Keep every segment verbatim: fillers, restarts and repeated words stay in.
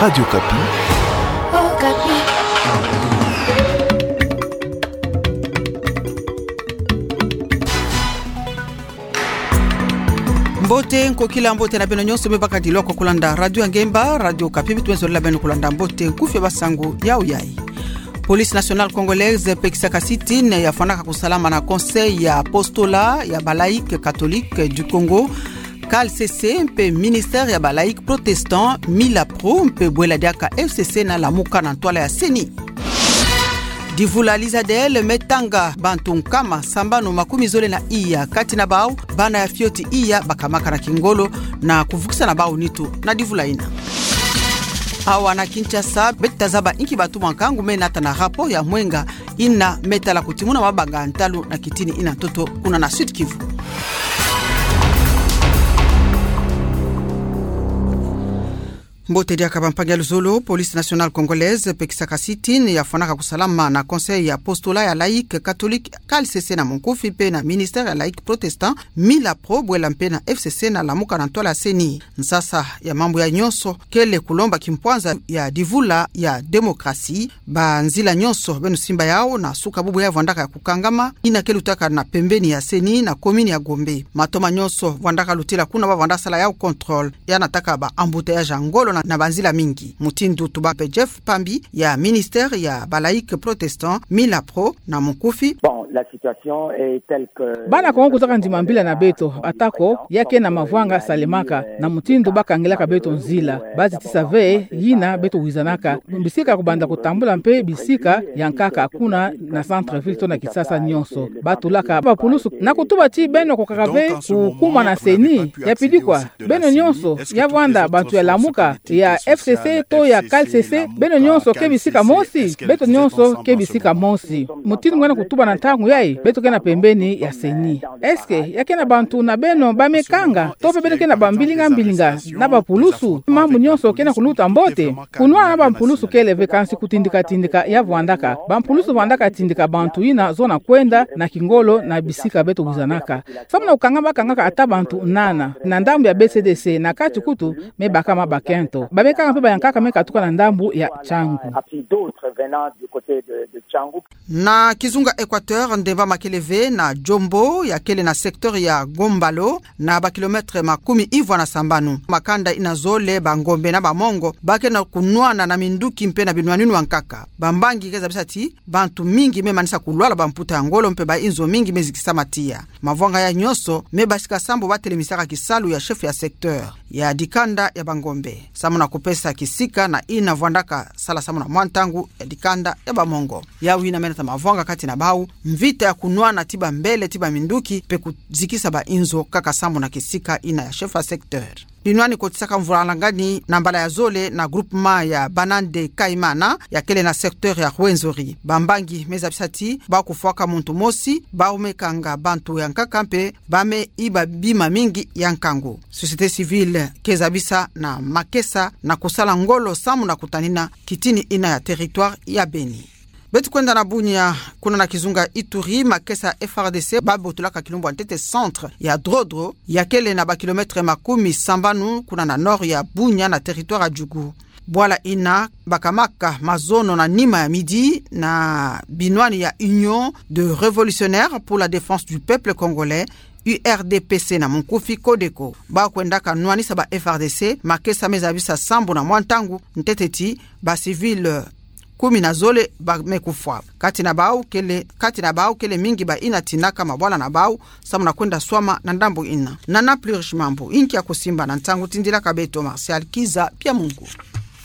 Radio Okapi. Okapi. Mbote, nkokila mbote na beno nyonso me bakadilwaka kulanda Radio Ngemba, Radio Okapi, beto me zolila beno kulanda mbote nkufi ya basangu yau yai. Police Nationale Congolaise pekisaka sit-in ya fwanaka kusalama na Conseil ya Apostolat ya ba Laïcs Catholiques du Congo, C A L C C, mpe Ministère ya ba Laïcs Protestants, MILAPRO, mpe bwela diaka F C C na Lamuka na ntwala ya CENI. Divula Lizadel me tanga bantu nkama sambanu makumi zole na iya, kati na bau bana ya fioti iya bakamaka na kingolo na kuvukisa na bau nitu na divula ina. Awa na Kinshasa, beto ta zaba inki bantu mwa nkangu me nata na rapport ya mwenga ina me tala kutimuna mabanga ntalu na kitini ina ntoto kuna na Sud-Kivu. Mbote diaka bampangi ya luzolo. Police Nationale Congolaise pekisaka sit-in ya fwanaka kusalama na Conseil ya Apostolat ya Laïcs Catholiques, C A L C C na munkufi, mpe na Ministère ya Laïcs Protestants, MILAPRO, bwela mpe na F C C na Lamuka na ntwala ya CENI. Nsasa ya mambu ya nyonso kele kulomba kimpwanza ya divula ya démocratie. Banzila nyonso beno simba yau na suka bubu ya vwandaka ya kukangama, ina ke lutaka na pembeni ya CENI na commune ya Gombe. Matoma nyonso vwandaka lutila kuna, ba vwanda sala yau contrôle, ya nataka ba embouteillage ya ngolo na, na banzila mingi. Mutindu tuba mpe Jeff Pambi ya Ministère ya ba Laïcs Protestants, MILAPRO na munkufi. Bon, la situation est telle que... Bana Kongo kuzaka ndima mbila na beto, atako ya ke na mavwanga salemaka na mutindu bakangilaka beto nzila, bazitisa ve yina beto wizanaka, bisika kubanda kutambula mpe bisika ya nkaka kuna na centre-ville to na Kinshasa nyonso. Batulaka bapulusu na kutuba ti beno kukaka ve kukumwa na CENI. Ya pidi kwa, beno nyonso ya vwanda bantu ya Lamuka, ya F C C to ya C A L C C, beno nyonso ke bisika mosi, beto nyonso ke bisika mosi. Mutindu ngiena kutuba na ntangu yai, beto ke na pembeni ya CENI. Est-ce que ya ke na bantu na beno ba me kanga, to mpe beno ke na bambilinga-mbilinga na bapulusu? Mambu nyonso ke na kuluta mbote? Kunwana na bampulusu kele ve, kansi kutindika-tindika ya vwandaka. Bampulusu vwandaka tindika bantu yina zona kwenda na kingolo na bisika beto wizanaka. Samu na kukanga bakangaka ata bantu nana na ndambu ya B C D C, na kati kutu me baka mabakento. Ba me kanga mpe bayankaka me katuka na ndambu ya Tshangu. Na kizunga Équateur, ndemba ma kele ve na Djombo, ya kele na secteur ya Gombalo, na bakilomètre makumi ivwa na sambanu. Makanda ina zole, Bangombe na Bamongo, ba ke na kunwana na minduki mpe na binwaninu ya nkaka. Bambangi ke zabisa ti bantu mingi me manisa kulwala bamputa ya ngolo mpe bainzo mingi me zikisama tiya. Mavwanga ya nyonso me basika sambu batelemisaka kisalu ya chef ya secteur ya dikanda ya Bangombe, samu na kupesa kisika na ina vwandaka sala samu na mwa ntangu ya dikanda ya Bamongo. Yau yina me nata mavwanga kati na bau, mvita ya kunwana ti bambele, ti baminduki, mpe kuzikisa bainzo kaka samu na kisika ina ya chef ya secteur. Binwani kotisaka mvula ngani na mbala ya zole na groupement ya Banande Kaimana, ya kele na secteur ya Rwenzori. Bambangi me zabisa ti ba kufwaka muntu mosi, bau me kanga bantu ya nkaka mpe ba me iba bima mingi ya nkangu. Société civile ke zabisa na makesa na kusala ngolo samu na kutanina kitini ina ya territoire ya Beni. Beto kwenda na Bunia, kuna na kizunga Ituri, makesa F R D C ba botolaka kilumbu ya ntete centre ya Drodro, ya kele na bakilomètre makumi sambanu kuna na nord ya Bunia na territoire ya Djugu. Bwala ina bakamaka mazono na nima ya midi na binwani ya Union de Révolutionnaires pour la Défense du Peuple Congolais, U R D P C na munkufi, CODECO. Ba kwendaka nwanisa ba F R D C, makesa me zabisa sambu na mwa ntangu ntete ti ba civil kumi na zole ba me kufwa. Kati na bau kele, kati na bau kele mingi ba ina tinaka mabwala na bau samu na kwenda swama na ndambu ina. Nana plus riche mambu inki ya kusimba na ntangu tindilaka beto Martial Kiza Piamungu.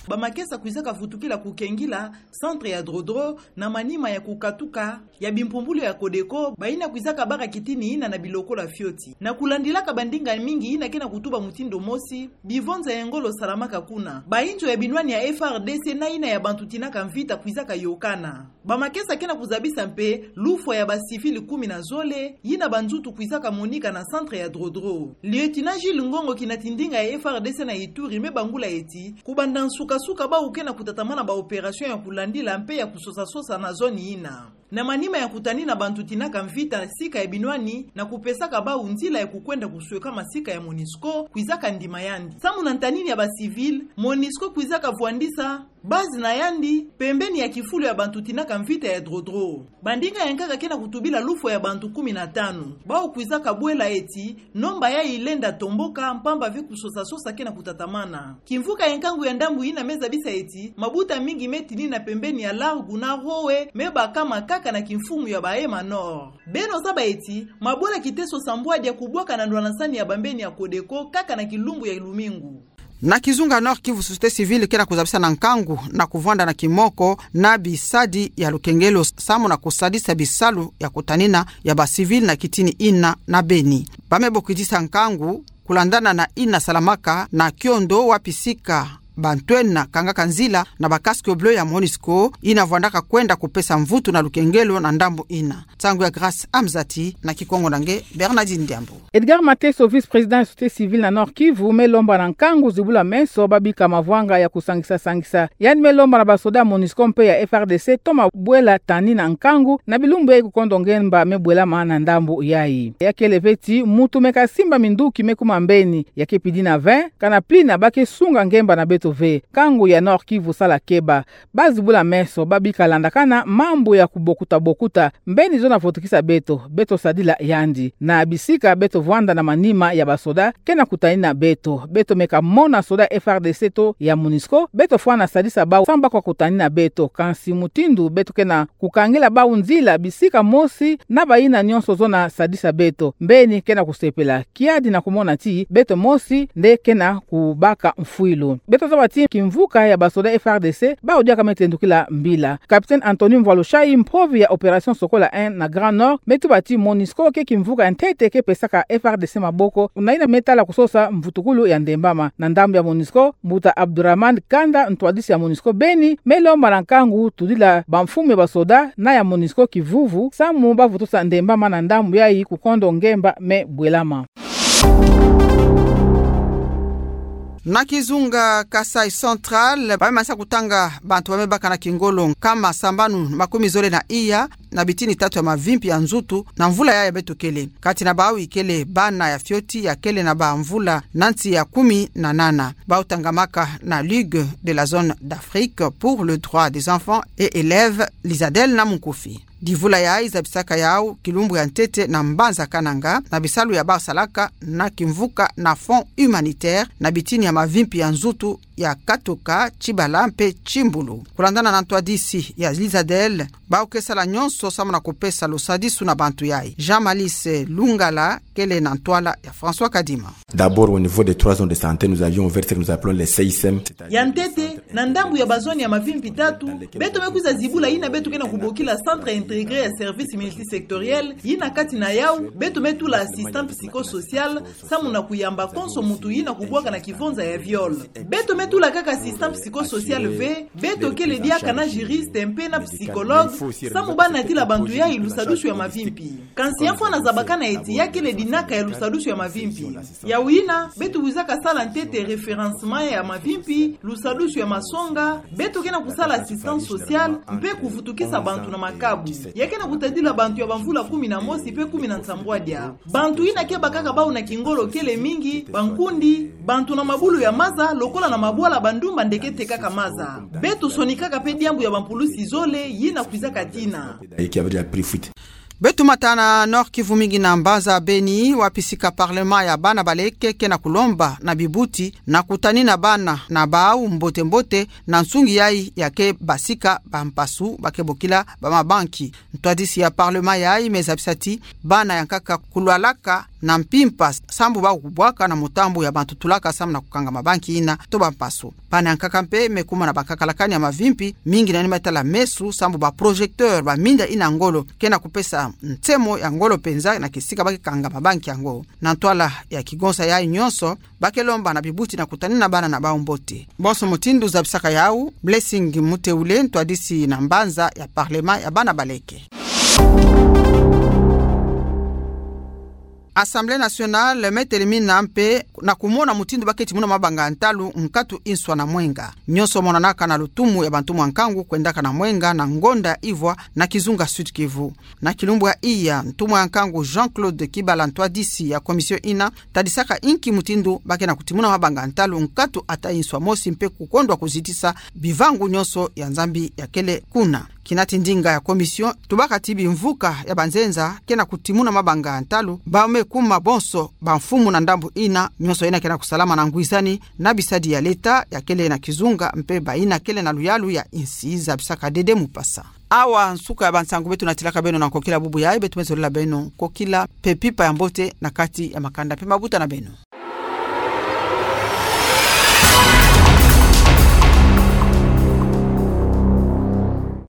Bamakesa kwizaka vutukila kukengila centre ya Drodro na manima ya kukatuka ya bimpumbulu ya CODECO, ba ina kwizaka baka kitini ina na bilokolo ya fioti. Na kulandilaka bandinga mingi ina ke na kutuba mutindu mosi, bivonza ya ngolo salamaka kuna. Bainzo ya binwani ya F R D C na ina ya bantu tinaka mvita kwizaka yokana. Bamakesa ke na kuzabisa mpe lufwa ya ba civil kumi na zole, ina banzutu kwizaka monika na centre ya Drodro. Lieutenant Jules Ngongo, kinatindinga ya F R D C na Ituri, me bangula eti, kubanda nsuka-suka bau ke na kutatamana ba opération ya kulandila mpe ya kusosa-sosa na zone ina. Na manima ya kutanina bantu tinaka mvita sika ya binwani na kupesaka bau nzila ya kukwenda kusweka masika ya MONUSCO, kwizaka ndima yandi. Samu na ntanini ya ba civil, MONUSCO kwizaka vwandisa base na yandi pembeni ya kifulu ya bantu tinaka mvita ya Drodro. Bandinga ya nkaka ke na kutubila lufwa ya bantu kumi na tanu. Bau kwizaka bwela eti nomba yayi ilenda tomboka mpamba ve kusosa-sosa ke na kutatamana. Kimvuka ya nkangu ya ndambu yina me zabisa eti mabuta mingi me tinina pembeni ya Largo na Roe me bakama kaka na kimfumu ya Bahema Nord. Beno zaba eti mabwela kiteso sambwadia kubwaka na ndwanasani ya bambeni ya Codeco kaka na kilumbu ya lumingu. Na kizunga Nord-Kivu, société civile ke na kuzabisa na nkangu na kuvwanda na kimoko na bisadi ya lukengelo samu na kusadisa bisalu ya kutanina ya ba civil na kitini yina na Beni. Ba me bokidisa nkangu kulandana na yina salamaka na kiondo wapi sika bantwenia kangaka nzila na ba casque bleu ya MONUSCO yina vwandaka kwenda kupesa mvutu na lukengelo na ndambu yina. Nsangu ya Grâce Amzati, na Kikongo na nge Bernardine Diambu. Edgar Mateso, vice-président ya société civile na Nord-Kivu, me lomba na nkangu zibula meso ba bika mavwanga ya kusangisa-sangisa. Yandi me lomba na basoda ya MONUSCO mpe ya F R D C toma bwela tanina nkangu na bilumbu yayi kukondo ngemba me bwelama na ndambu yayi. Ya kele ve ti mutu me kasimba minduki me kuma mbeni, ya ke pidina ve, kana plina ba ke sunga ngemba na beto ve. Nkangu ya Nord-Kivu sala keba. Ba zibula meso, ba bika landakana mambu ya kubokuta-bokuta, mbeni zo na votukisa beto, beto sadila yandi. Na bisika beto vwanda na manima ya basoda ke na kutanina beto. Beto me kamona soda F R D C to ya MONUSCO, beto fwana sadisa bau samu ba kwa kutanina beto. Kansi mutindu beto ke na kukangila bau nzila bisika mosi na bayina nyonso zo na sadisa beto, mbeni ke na kusepela. Kiadi na kumona ti beto mosi nde ke na kubaka mfwilu. Beto zaba ti kimvuka ya basoda F R D C bau diaka me tendukila mbila. Capitaine Anthony Mvwalushayi, mpovi ya Opération Sokola un na Grand Nord, me tuba ti MONUSCO ke kimvuka ya ntete ke pesaka F R D C maboko, na yina me tala kusosa mvutukulu ya ndembama. Na ndambu ya MONUSCO, mbuta Abdourahmane Kanda, ntwadisi ya MONUSCO Beni, me lomba na nkangu tudila bamfumu ya basoda na ya MONUSCO kivuvu samu ba vutusa ndembama na ndambu yayi kukondo ngemba me bwelama. Na kizunga Kasaï Central, ba me manisa kutanga bantu ba me baka na kingolo nkama sambanu makumi zole na iya na bitini tatu ya mavimpi ya nzutu na mvula yayi beto kele. Kati na bau ikele bana ya fioti ya kele na bamvula na nsi ya kumi na nana. Bau tangamaka na Ligue de la Zone d'Afrique pour le droit des enfants et élèves, Lizadel na munkufi. Divula yayi zabisaka yau kilumbu ya ntete na mbanza Kananga, na bisalu ya bau salaka na kimvuka na Fonds humanitaire na bitini ya mavimpi ya nzutu ya Katoka, Tshibala mpe Tshimbulu. Kulandana na ntwadisi ya Lizadel, bau ke sala nyonso samu na kupesa lusadisu na bantu yayi. Jean Malice Lungala kele na ntwala ya François Kadima. D'abord, au niveau des trois zones de santé, nous avions ouvert ce que nous appelons les C I C M. Ya ntete, na ndambu ya bazone ya mavimpi tatu, beto me kwiza zibula yina beto ke na kubokila Centre Intégré ya Service Multisectoriel, yina kati na yau beto me tula assistant psychosocial, samu na kuyamba konso mutu yina kubwaka na kivonza ya viol. Beto me tula kaka assistant psychosocial ve, beto kele diaka na juriste mpe na psychologue, samu ba natila bantu yayi lusadusu ya mavimpi. Kansi ya mfwana zabakana eti ya kele dinaka ya lusadusu ya mavimpi. Yau yina, beto wizaka sala ntete référencement ya mavimpi, lusadusu ya masonga, beto ke na kusala assistance sociale, mpe kuvutukisa bantu na makabu. Ya ke na kutadila bantu ya bamvula kumi na mosi mpe kumi na nsambwadia. Bantu yina ke bakaka bau na kingolo kele mingi, bankundi, bantu na mabulu ya maza, lokola na mabwala bandumba nde ke tekaka maza. Beto sonikaka mpe diambu ya bampulusi zole, yina kwizaka tina. Et qui avait de la prix fuite. Beto mata na Nord-Kivu, mingi na mbanza Beni, wapi sika parlement ya bana baleke ke na kulomba na bibuti na kutanina bana na bau mbote-mbote na nsungi yayi ya ke basika bampasu ba ke bokila bamabanki. Ntwadisi ya parlement yayi me zabisa ti bana ya nkaka kulwalaka na mpimpa sambu bau kubwaka na mutambu ya bantu tulaka samu na kukanga mabanki yina to bampasu. Bana ya nkaka mpe me kuma na bakakalakani ya mavimpi, mingi na yina me tala meso sambu ba projecteur, ba minda yina ngolo, ke na kupesa nsemo ya ngolo mpenza na kisika ba ke kanga mabanki yango. Na ntwala ya kigonsa yayi nyonso, ba ke lomba na bibuti na kutanina bana na bau mbote. Bonso mutindu zabisaka yau, Blessing Muteule, ntwadisi na mbanza ya parlement ya bana baleke. Assemblée nationale me telemina mpe na kumona mutindu ba keti muna mabanga ya ntalu nkatu inswa na mwenga. Nyonso monanaka na lutumu ya bantumwa nkangu kwendaka na mwenga na ngonda ivwa na kizunga Sud-Kivu. Na kilumbu ya iya, ntumwa ya nkangu Jean-Claude Kibala, ntwadisi ya commission ina, tadisaka inki mutindu ba ke na kutimuna mabanga ya ntalu nkatu ata inswa mosi mpe kukondwa kuzitisa bivangu nyonso ya Nzambi ya kele kuna. Kinati ndinga ya commission, tubaka ti bimvuka ya banzenza ke na kutimuna mabanga ya ntalu, ba me kuma bonso bamfumu na ndambu ina, nyonso ina ke na kusalama na ngwizani na bisadi ya leta ya kele na kizunga mpe ba ina kele na luyalu ya insi, zabisaka Dede Mupasa. Awa nsuka ya bansangu beto natilaka beno na nkokila bubu yayi, beto me zolila beno nkokila mpe mpimpa ya mbote na kati ya makanda mpe mabuta na beno.